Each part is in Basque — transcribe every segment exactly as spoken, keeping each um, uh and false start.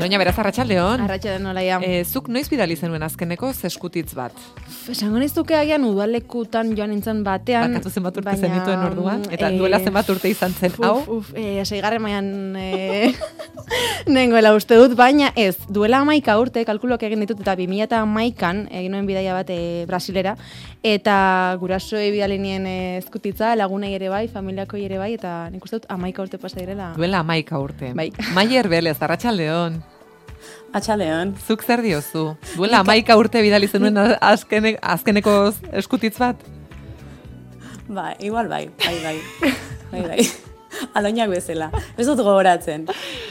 Aloña, beraz, arratsaldeon. Arratsaldeon olaia. E, zuk noiz bidali zenuen azkeneko eskutitz bat? Esango nizuke agian udalekutan joan nintzen batean. Bakatu zenbat urte zenituen orduan? Eta duela zenbat urte izan zen, uf, hau? Uf, e, seigarren mailan e, nengoela uste dut, baina ez, duela hamaika urte, kalkuloak egin ditut, eta bi mila hamaikan egin nuen bidaia bat e, Brasilera, eta gurasoei bidali nien e, eskutitza, lagunei ere bai, familiakoi ere bai, eta nik uste dut hamaika urte pasa direla. Duela hamaika urte. Bai. Maier Belez, arratsaldeon. Atxaleon. Zuk zer diozu? Duela hamaika urte bidali zenuen azkene, azkeneko eskutitz bat? Ba, igual bai, bai, bai. Bai, bai. Aloñak bezala. Ez dut gogoratzen.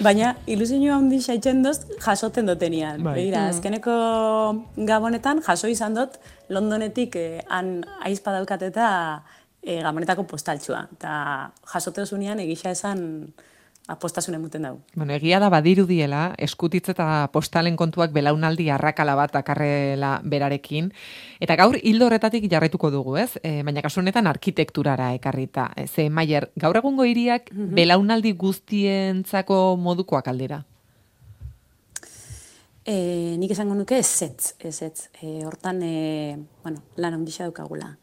Baina, ilusio handi saitzen doz, jasoten dutenian. Bai. Begira, azkeneko gabonetan jaso izan dut, Londonetik eh, han aizpa daukat eta eh, gabonetako postaltxua. Eta jasote osunean egisa esan apostasun emuten dugu. Bueno, egia da badirudiela, eskutitz eta postalen kontuak belaunaldi arrakala bat dakarrela berarekin. Eta gaur hildo horretatik jarraituko dugu, ez? E, baina kasu honetan arkitekturara ekarrita. E, ze, Maier, gaur egungo hiriak mm -hmm. belaunaldi guztientzako modukoak aldera? E, nik esango nuke ezetz, ezetz. E, hortan, e, bueno, lan handixa daukagula.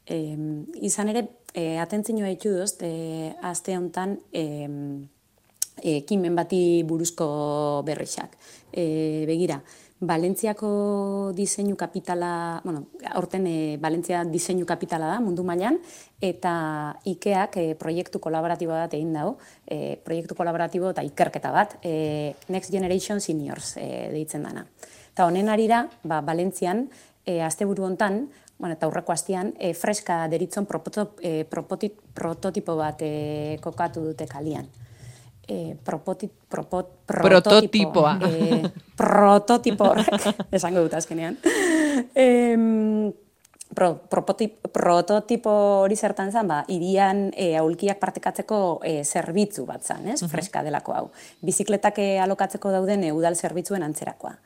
E, izan ere, e, atentzioa ditu dozt, e, aste honetan, e, ekimen bati buruzko berrixak. E, begira, Valentziako diseinu kapitala, bueno, aurten e, Valentzia diseinu kapitala da mundu mailan, eta Ikeak e, proiektu kolaboratibo bat egin dago, e, proiektu kolaboratibo eta ikerketa bat, e, Next Generation Seniors e, deitzen dana. Eta honen arira, ba, Valentzian, e, asteburu hontan, bueno, eta aurreko astean, e, freska deritzon prototip, e, prototipo bat e, kokatu dute kalian. E, propoti, propot, prototipoa. E, prototipo horrek, esango dut azkenean. E, pro, propotip, prototipo hori zertan zen, ba, irian e, aulkiak partekatzeko e, zerbitzu bat zen, ez? Uh -huh. Freska delako hau. Bizikletak e, alokatzeko dauden e, udal zerbitzuen antzerakoa.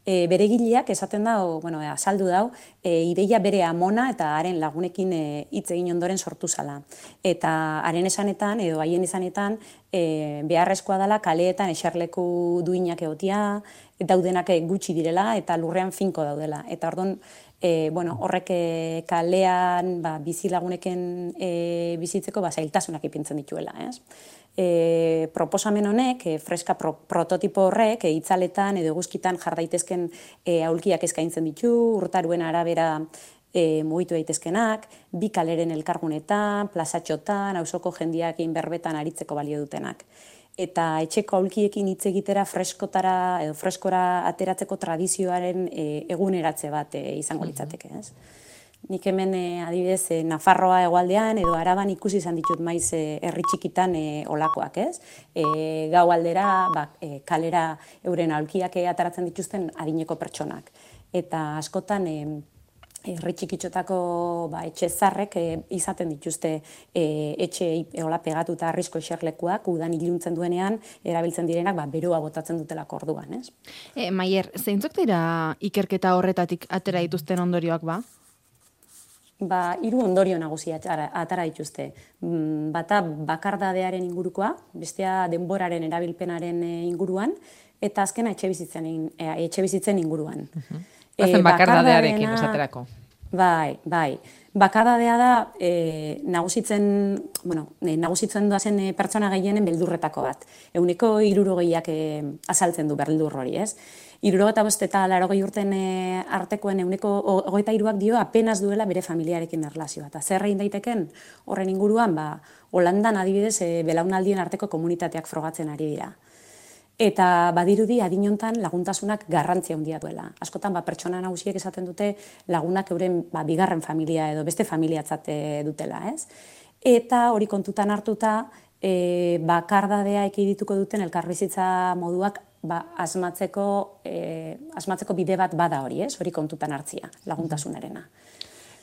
E, bere gileak esaten da, o, bueno, azaldu dau, e, ideia bere amona eta haren lagunekin hitz e, egin ondoren sortu zala. Eta haren esanetan, edo haien esanetan, e, beharrezkoa dela kaleetan eserleku duinak egotia, daudenak gutxi direla eta lurrean finko daudela. Eta orduan, e, bueno, horrek e, kalean ba, bizi laguneken e, bizitzeko ba, zailtasunak ipintzen dituela, ez? E, proposamen honek, e, freska pro, prototipo horrek, e, itzaletan edo eguzkitan jar daitezken e, aulkiak eskaintzen ditu, urtaruen arabera e, mugitu daitezkenak, bi kaleren elkargunetan, plazatxotan, auzoko jendiakin berbetan aritzeko balio dutenak. Eta etxeko aulkiekin hitz egitera freskotara edo freskora ateratzeko tradizioaren e, eguneratze bat e, izango litzateke, ez? Nik hemen e, adibidez e, Nafarroa hegoaldean edo Araban ikusi izan ditut maiz e, herri txikitan e, olakoak, ez? E, gau aldera, ba, e, kalera euren aulkiak e, ataratzen dituzten adineko pertsonak. Eta askotan e, herri txikitxotako ba, etxe zarrek e, izaten dituzte e, etxe eola pegatuta arrisko eserlekuak, udan iluntzen duenean, erabiltzen direnak ba, beroa botatzen dutelako orduan, ez? E, Maier, zeintzuk dira ikerketa horretatik atera dituzten ondorioak ba? Ba, hiru ondorio nagusi atara dituzte. Bata bakardadearen ingurukoa, bestea denboraren erabilpenaren inguruan, eta azkena etxe bizitzen, etxe bizitzen inguruan. Uh-huh. Bazen e, bakardadearekin esaterako. Bai, bai. Bakardadea da e, nagusitzen, bueno, e, nagusitzen doazen e, pertsona gehienen beldurretako bat. Ehuneko hirurogeiak e, azaltzen du beldur hori, ez? Hirurogeta bost eta laurogei urten e, artekoen ehuneko hogeita hiruak dio apenas duela bere familiarekin erlazioa. Eta zer egin daiteken horren inguruan, ba, Holandan adibidez e, belaunaldien arteko komunitateak frogatzen ari dira. Eta badirudi adinontan laguntasunak garrantzia handia duela. Askotan ba, pertsona nagusiek esaten dute lagunak euren ba, bigarren familia edo beste familiatzat dutela, ez? Eta hori kontutan hartuta e, bakardadea ekidituko duten elkarbizitza moduak ba, asmatzeko, e, asmatzeko bide bat bada hori, ez? Hori kontutan hartzia, laguntasunarena.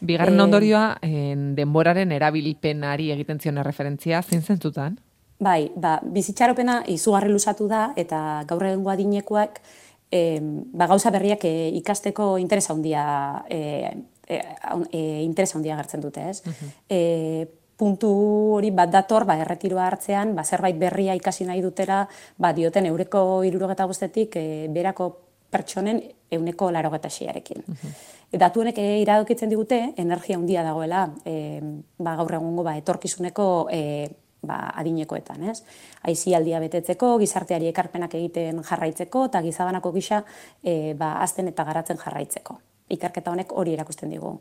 Bigarren ondorioa, e, denboraren erabilpenari egiten zion referentzia, zein zentzutan? Bai, ba, bizitxaropena izugarri luzatu da, eta gaur egungo adinekoak e, ba, gauza berriak e, ikasteko interesa handia e, e, e, interesa handia agertzen dute, ez? Uh-huh. e, puntu hori bat dator, ba, erretiroa hartzean, ba, zerbait berria ikasi nahi dutera, ba, dioten eureko hirurogeta bostetik e, berako pertsonen euneko larogeta seiarekin. Uh-huh. Datu honek e, iradokitzen digute, energia handia dagoela, e, ba, gaur egungo ba, etorkizuneko e, ba, adinekoetan, ez? Aisialdia betetzeko, gizarteari ekarpenak egiten jarraitzeko, eta gizabanako gisa e, ba, hazten eta garatzen jarraitzeko. Ikerketa honek hori erakusten digu.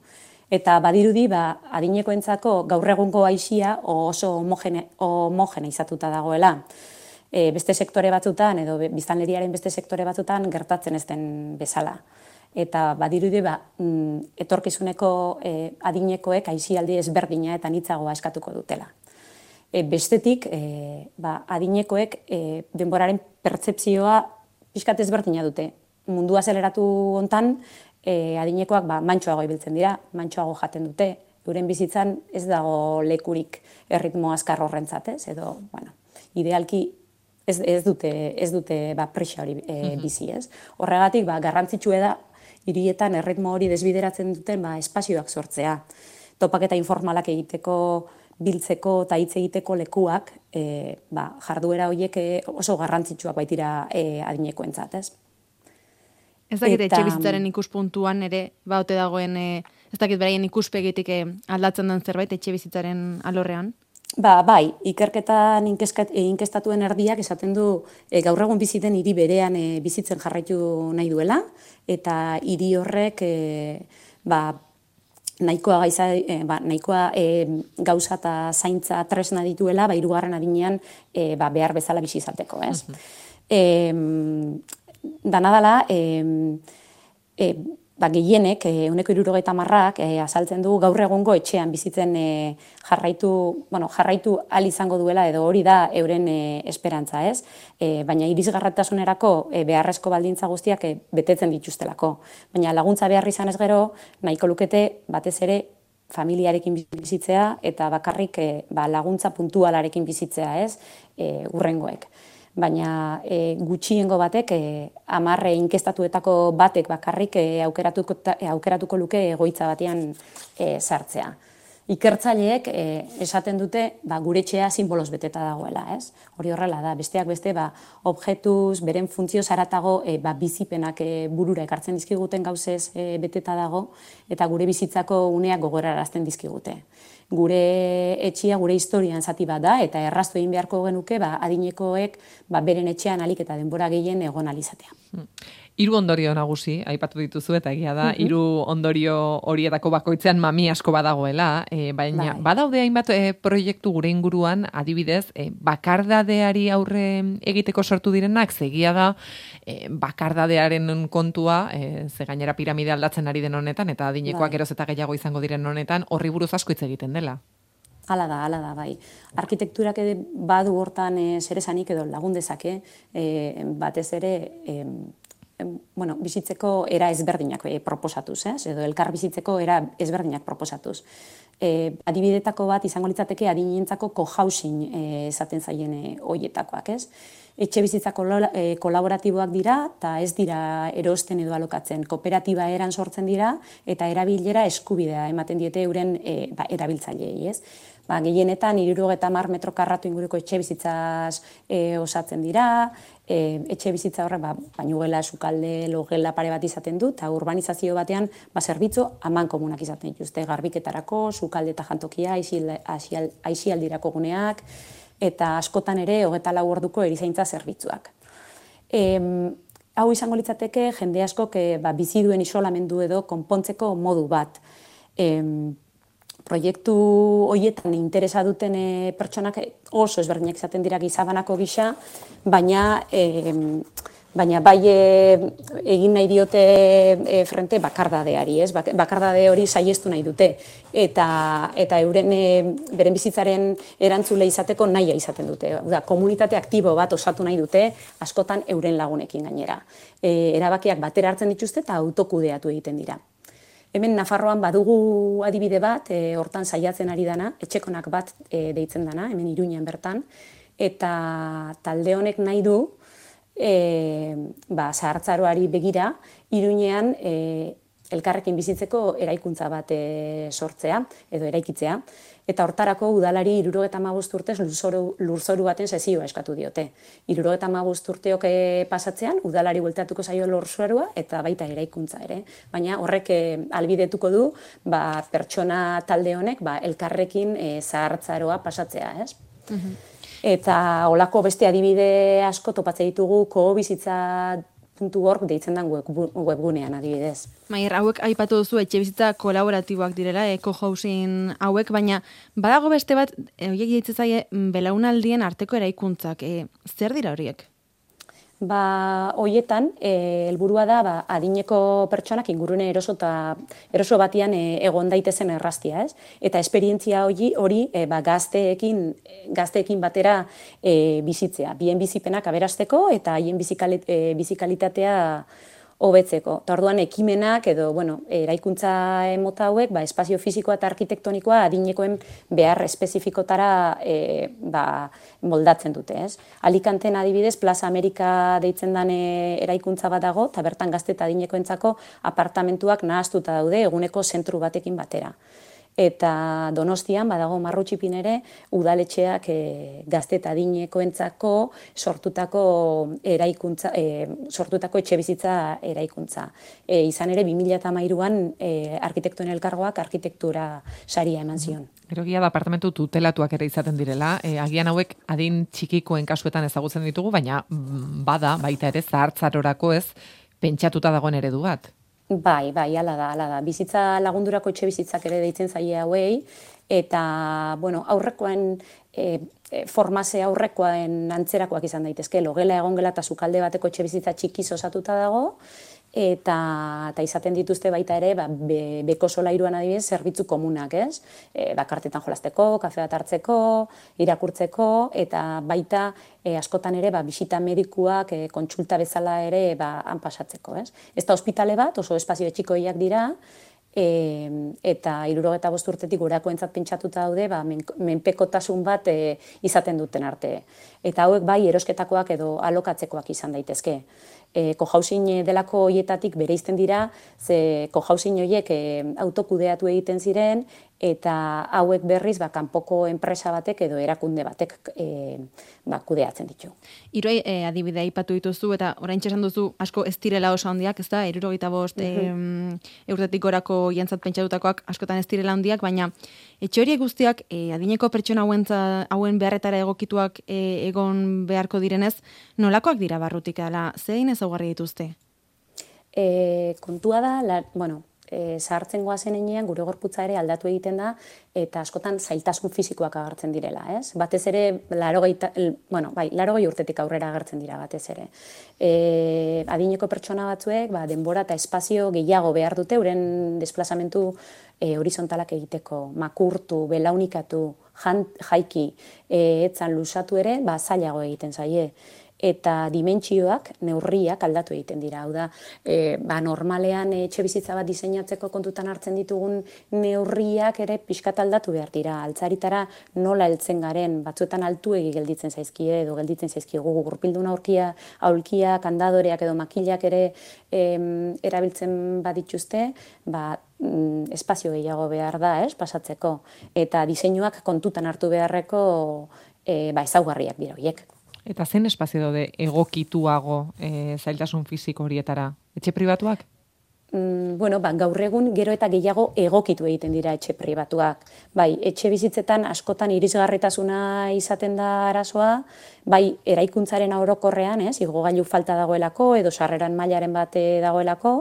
Eta badirudi, ba, adinekoentzako gaur egungo aisia oso homogene, homogene izatuta dagoela. E, beste sektore batzutan, edo biztanleriaren beste sektore batzutan gertatzen ez den bezala. Eta badirudi, ba, etorkizuneko e, adinekoek aisialdi ezberdina eta nitzagoa eskatuko dutela. E, bestetik, e, ba, adinekoek e, denboraren pertzepzioa pixkat ezberdina dute. Mundu azeleratu hontan, e, adinekoak ba, mantsoago ibiltzen dira, mantsoago jaten dute, euren bizitzan ez dago lekurik erritmo azkar horrentzat, ez? Edo, bueno, idealki ez, ez dute, ez dute ba, presa hori e, bizi, ez? Horregatik, ba, garrantzitsua da, hirietan erritmo hori desbideratzen duten ba, espazioak sortzea. Topaketa informalak egiteko, biltzeko eta hitz egiteko lekuak, e, ba, jarduera horiek oso garrantzitsuak baitira e, adinekoentzat, ez? Ez dakit eta... etxe bizitzaren ikuspuntuan ere, ba, ote dagoen, e, ez dakit beraien ikuspegitik e, aldatzen den zerbait etxe bizitzaren alorrean? Ba, bai, ikerketan inkestatuen erdiak esaten du e, gaur egun biziten hiri berean e, bizitzen jarraitu nahi duela, eta hiri horrek e, ba, nahikoa, gaiza, e, ba, nahikoa e, gauza eta zaintza tresna dituela, ba, hirugarren adinean e, ba, behar bezala bizi izateko, ez? Uh-huh. e, danadala, e, e, ba, gehienek, ehuneko hirurogeita hamarrak e, azaltzen du gaur egungo etxean bizitzen e, jarraitu, bueno, jarraitu ahal izango duela edo hori da euren e, esperantza, ez? E, baina irisgarritasunerako e, beharrezko baldintza guztiak e, betetzen dituztelako. Baina laguntza behar izan ez gero, nahiko lukete batez ere familiarekin bizitzea eta bakarrik e, ba, laguntza puntualarekin bizitzea, ez? E, urrengoek. Baina e, gutxiengo batek, e, amarre inkestatuetako batek bakarrik e, aukeratuko, e, aukeratuko luke egoitza batean e, sartzea. Ikertzaileek e, esaten dute ba, gure etxea simboloz beteta dagoela, ez? Hori horrela da, besteak beste, ba, objetuz, beren funtzio zaratago e, ba, bizipenak e, burura ekartzen dizkiguten gauzez e, beteta dago, eta gure bizitzako uneak gogorarazten dizkigute. Gure etxia, gure historian zati bat da, eta erraztu egin beharko genuke, ba, adinekoek ba, beren etxean alik eta denbora gehien egon alizatea. Hiru ondorio nagusi, aipatu dituzu, eta egia da, hiru ondorio horietako bakoitzean mami asko badagoela, e, baina bai. Badaude hainbat e, proiektu gure inguruan, adibidez, e, bakardadeari aurre egiteko sortu direnak, zegia da, e, bakardadearen kontua, e, ze gainera piramide aldatzen ari den honetan, eta adinekoak bai. Geroz eta gehiago izango diren honetan, horri buruz asko hitz egiten dela. Hala da, hala da, bai. Arkitekturak ere badu hortan e, zeresanik edo lagun dezake, e, batez ere, e, bueno, bizitzeko era ezberdinak e, proposatuz, ez? Edo elkar bizitzeko era ezberdinak proposatuz. E, adibidetako bat izango litzateke adinentzako co-housing e, esaten zaien e, hoietakoak, ez? Etxe bizitza e, kolaboratiboak dira, eta ez dira erosten edo alokatzen. Kooperatiba eran sortzen dira, eta erabilera eskubidea ematen diete euren e, ba, erabiltzaileei, ez? Ba, gehienetan, hirurogeita hamar metro karratu inguruko etxe bizitzaz e, osatzen dira, e, etxe bizitza horrek ba, bainugela, sukalde, logela pare bat izaten du, eta urbanizazio batean ba, zerbitzu haman komunak izaten dituzte, garbiketarako, sukalde eta jantokia, aisialdirako guneak, eta askotan ere hogeta lau orduko erizaintza zerbitzuak. E, hau izango litzateke jende askok e, ba, bizi duen isolamendu edo konpontzeko modu bat. E, proiektu horietan interesa duten e, pertsonak oso ezberdinak izaten dira gizabanako gisa, baina e, baina bai e, egin nahi diote e, frente bakardadeari, ez? Bakardade hori saiestu nahi dute, eta, eta euren e, beren bizitzaren erantzule izateko nahia izaten dute. Da, komunitate aktibo bat osatu nahi dute, askotan euren lagunekin gainera. E, erabakiak batera hartzen dituzte eta autokudeatu egiten dira. Hemen Nafarroan badugu adibide bat, e, hortan saiatzen ari dana, etxekonak bat e, deitzen dana, hemen Iruñan bertan, eta talde honek nahi du, e, ba, zahartzaroari begira, Iruñean e, elkarrekin bizitzeko eraikuntza bat e, sortzea edo eraikitzea. Eta hortarako udalari hirurogeita hamabost urtez lurzoru, lurzoru baten sesioa eskatu diote. hirurogeita hamabost urteok pasatzean, udalari bueltatuko zaio lurzorua eta baita eraikuntza ere. Baina horrek e, albidetuko du ba, pertsona talde honek ba, elkarrekin e, zahartzaroa pasatzea, ez? Mm-hmm. Eta holako beste adibide asko topatzen ditugu kohobizitza puntu org deitzen den webgunean adibidez. Maier, hauek aipatu duzu etxebizitza kolaboratiboak direla, eco-housing hauek, baina badago beste bat, horiek deitzen zaie belaunaldien arteko eraikuntzak. E, zer dira horiek? Ba, hoietan, e, helburua da ba, adineko pertsonak ingurune eroso, ta, eroso batian e, egon daitezen erraztia, ez? Eta esperientzia hori, hori e, ba, gazteekin, gazteekin batera e, bizitzea. Bien bizipenak aberasteko eta haien bizikalit, e, bizikalitatea hobetzeko. Eta orduan ekimenak edo bueno, eraikuntza mota hauek ba, espazio fisikoa eta arkitektonikoa adinekoen behar espezifikotara e, ba, moldatzen dute. Ez? Alicanten adibidez, Plaza Amerika deitzen den eraikuntza bat dago, eta bertan gazte eta adinekoentzako apartamentuak nahaztuta daude eguneko zentru batekin batera. Eta Donostian, badago Marrutxipin ere, udaletxeak e, gazte eta adinekoentzako sortutako eraikuntza, e, sortutako etxebizitza eraikuntza. E, izan ere, bi mila hamairuan e, arkitektoen elkargoak arkitektura saria eman zion. Gero gia da apartamentu tutelatuak ere izaten direla, e, agian hauek adin txikikoen kasuetan ezagutzen ditugu, baina bada, baita ere, zahartzarorako ez, pentsatuta dagoen eredu bat. Bai, bai, ala da, ala da. Bizitza lagundurako etxe bizitzak ere deitzen zaie hauei, eta, bueno, aurrekoen, e, e, formase aurrekoen antzerakoak izan daitezke, logela egongela eta sukalde bateko etxe bizitza txikiz osatuta dago, eta, eta izaten dituzte baita ere, ba, be, beko solairuan adibidez, zerbitzu komunak, ez? E, bakartetan jolasteko, kafe bat hartzeko, irakurtzeko, eta baita e, askotan ere, ba, bisita medikuak e, kontsulta bezala ere ba, han pasatzeko, ez? Ez da ospitale bat, oso espazio txikoiak dira, e, eta hirurogeita bost urtetik gorakoentzat pentsatuta daude, ba, men, menpekotasun bat e, izaten duten arte. Eta hauek bai erosketakoak edo alokatzekoak izan daitezke. E, cohousing delako hoietatik bereizten dira, ze cohousing horiek e, autokudeatu egiten ziren, eta hauek berriz ba, kanpoko enpresa batek edo erakunde batek e, ba, kudeatzen ditu. Hiru e, adibidea aipatu dituzu eta oraintxe esan duzu asko ez direla oso handiak, ez da, hirurogeita bost mm-hmm. e, eurtetik gorako jantzat pentsatutakoak askotan ez direla handiak, baina etxe horiek guztiak e, adineko pertsona hauen, hauen beharretara egokituak e, egon beharko direnez, nolakoak dira barrutik ala, zein ezaugarri dituzte? E, kontua da, la, bueno, E, zahartzen goazen enean, gure gorputza ere aldatu egiten da, eta askotan zailtasun fisikoak agertzen direla, ez? Batez ere, larogei, bueno, bai, larogei urtetik aurrera agertzen dira batez ere. E, adineko pertsona batzuek, ba, denbora eta espazio gehiago behar dute, euren desplazamentu e, horizontalak egiteko, makurtu, belaunikatu, jan, jaiki, e, etzan lusatu ere, ba, zailago egiten zaie. Eta dimentsioak, neurriak aldatu egiten dira. Hau da, e, ba, normalean etxe bizitza bat diseinatzeko kontutan hartzen ditugun neurriak ere pixkat aldatu behar dira. Altzaritara nola heltzen garen, batzuetan altuegi gelditzen zaizkie edo gelditzen zaizkie gugu gurpildun aurkia, aulkia, kandadoreak edo makilak ere em, erabiltzen badituzte, ba, mm, espazio gehiago behar da, ez, pasatzeko. Eta diseinuak kontutan hartu beharreko e, ba, ezaugarriak dira horiek. Eta zen espazio daude egokituago e, zailtasun fisiko horietara? Etxe pribatuak? Mm, bueno, ba, gaur egun gero eta gehiago egokitu egiten dira etxe pribatuak. Bai, etxe bizitzetan askotan irisgarritasuna izaten da arazoa, bai, eraikuntzaren orokorrean, ez, igogailu falta dagoelako edo sarreran mailaren bate dagoelako,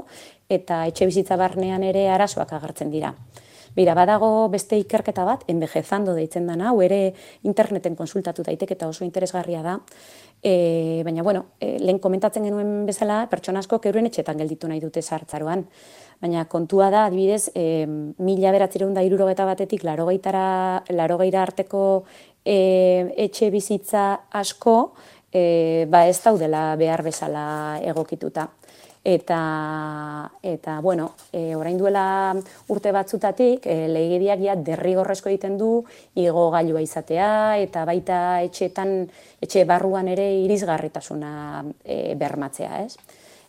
eta etxe bizitza barnean ere arazoak agertzen dira. Bira, badago beste ikerketa bat, envejezando deitzen dana, hau ere interneten konsultatu daiteke eta oso interesgarria da. E, baina, bueno, e, lehen komentatzen genuen bezala, pertsona asko euren etxetan gelditu nahi dute zahartzaroan. Baina kontua da, adibidez, e, mila bederatziehun eta hirurogeita batetik larogeira arteko e, etxe bizitza asko, e, ba ez daudela behar bezala egokituta. Eta, eta bueno, e, orain duela urte batzutatik, e, legediak ja derrigorrezko egiten du igogailua izatea, eta baita etxeetan, etxe barruan ere irisgarritasuna e, bermatzea, ez?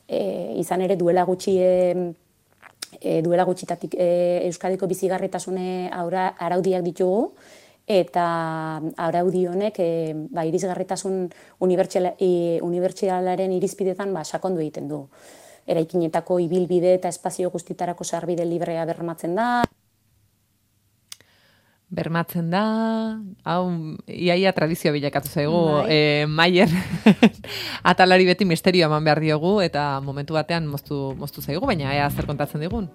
E, izan ere duela gutxi e, e, duela gutxitatik e, Euskadiko bizigarritasune aura, araudiak ditugu, eta araudi honek e, ba, irisgarritasun unibertsalaren irizpidetan ba, sakondu egiten du. Eraikinetako ibilbide eta espazio guztitarako sarbide librea bermatzen da. Bermatzen da, hau, iaia tradizio bilakatu zaigu, Bai. e, Maier atalari beti misterio eman behar diogu, eta momentu batean moztu, moztu zaigu, baina ea zer kontatzen digun.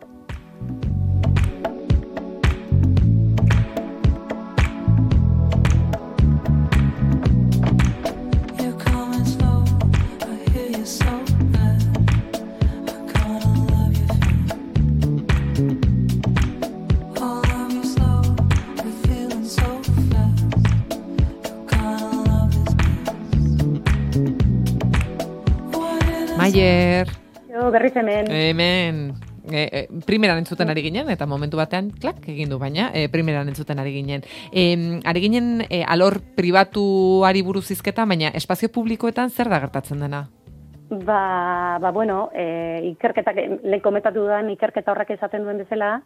Maier. Jo, berriz hemen. Hemen. E, e, primeran entzuten ari ginen, eta momentu batean, klak, egin du, baina, e, primeran entzuten ari ginen. E, ari ginen, e, alor pribatuari buruz hizketa, baina espazio publikoetan zer da gertatzen dena? Ba, ba bueno, e, ikerketak, lehen komentatu dudan ikerketa horrek esaten duen bezala,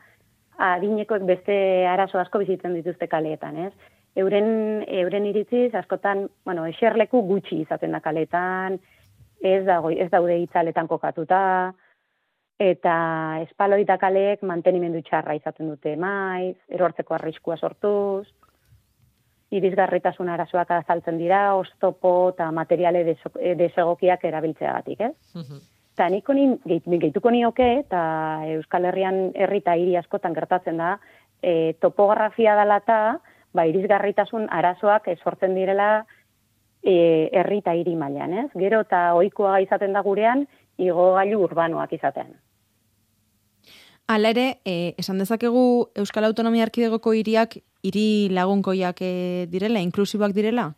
adinekoek beste arazo asko bizitzen dituzte kaleetan, ez? Euren, euren iritziz, askotan, bueno, eserleku gutxi izaten da kaleetan, ez dago, ez daude itzaletan kokatuta, eta espaloi eta kaleek mantenimendu txarra izaten dute maiz, erortzeko arriskua sortuz, irisgarritasun arazoak azaltzen dira, oztopo eta materiale desegokiak erabiltzeagatik, ez? Eta uh-huh. niko gehituko nioke, eta Euskal Herrian herri eta hiri askotan gertatzen da, e, topografia dela eta ba, irisgarritasun arazoak sortzen direla E, herri eta hiri mailan, ez? Gero eta ohikoa izaten da gurean, igogailu urbanoak izatean. Hala ere, e, esan dezakegu Euskal Autonomia Erkidegoko hiriak hiri lagunkoiak e, direla, inklusiboak direla?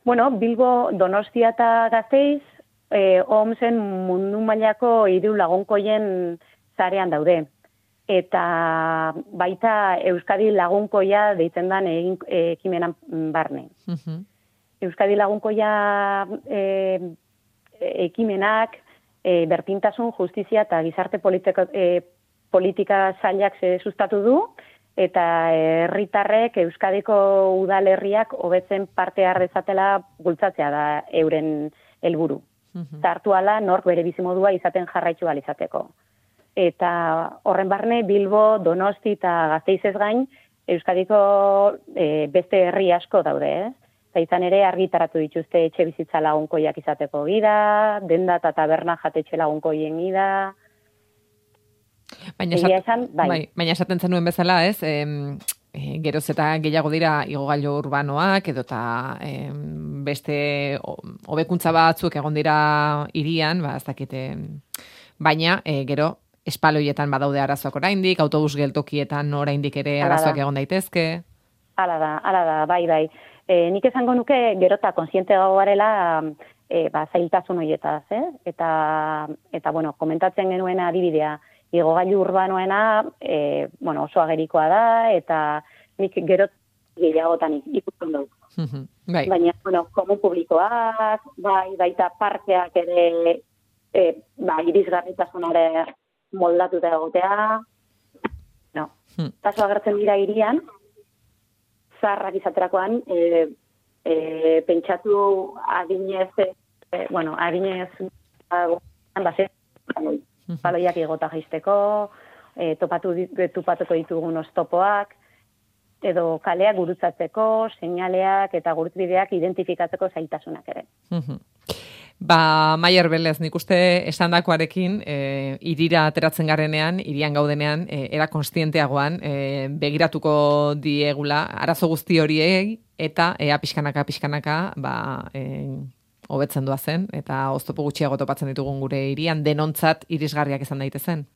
Bueno, Bilbo, Donostia eta Gasteiz, e, O M S-en mundu mailako hiru lagunkoien zarean daude. Eta baita Euskadi lagunkoia deitzen den egin ekimenan barne. Uh-huh. Euskadi lagunkoia e, ekimenak e, berpintasun, justizia eta gizarte politika, e, politika sailak sustatu du, eta herritarrek Euskadiko udalerriak hobetzen parte har dezatela bultzatzea da euren helburu. Uh-huh. Zartu ala nork bere bizimodua izaten jarraitu ahal izateko. Eta horren barne Bilbo, Donosti eta Gasteizez gain Euskadiko e, beste herri asko daude, ez? Eh? Izan ere argitaratu dituzte etxe bizitza lagunkoiak izateko gida, denda eta taberna jatetxe lagunkoien gida. Baina, esat, esan, bai. Bai, baina esaten zenuen bezala, ez? E, e, geroz eta gehiago dira igogailu urbanoak, edo eta e, beste hobekuntza batzuk egon dira hirian, ba, ez dakite, baina e, gero espaloietan badaude arazoak oraindik, autobus geltokietan oraindik ere arazoak egon daitezke. Hala da, hala da, bai, bai. E, nik esango nuke gero eta konsiente garela e, ba, zailtasun horietaz, eh? eta, eta bueno, komentatzen genuen adibidea, igogailu urbanoena e, bueno, oso agerikoa da, eta nik gero gehiagotan ikusten dut. Bai. Baina, bueno, komun publikoak, bai, baita parkeak ere e, ba, irisgarritasunare moldatuta egotea, no. Hmm. Paso agertzen dira hirian, zarrak izaterakoan, e, e, pentsatu adinez, e, bueno, adinez, base, baloiak igota jaisteko, e, topatu, topatuko ditugun oztopoak, edo kaleak gurutzatzeko, seinaleak eta gurutbideak identifikatzeko zailtasunak ere. Ba, Maier Belez, nik uste esandakoarekin, e, irira ateratzen garenean, irian gaudenean, e, era konstienteagoan, e, begiratuko diegula, arazo guzti horiei, eta ea pixkanaka, pixkanaka, ba, e, hobetzen doa zen, eta oztopo gutxiago topatzen ditugun gure irian, denontzat irisgarriak izan daitezen.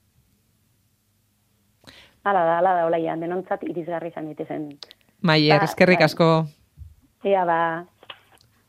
Hala da, hala da, olaian, denontzat irisgarri izan daitezen. Maier, eskerrik asko. Ea ba.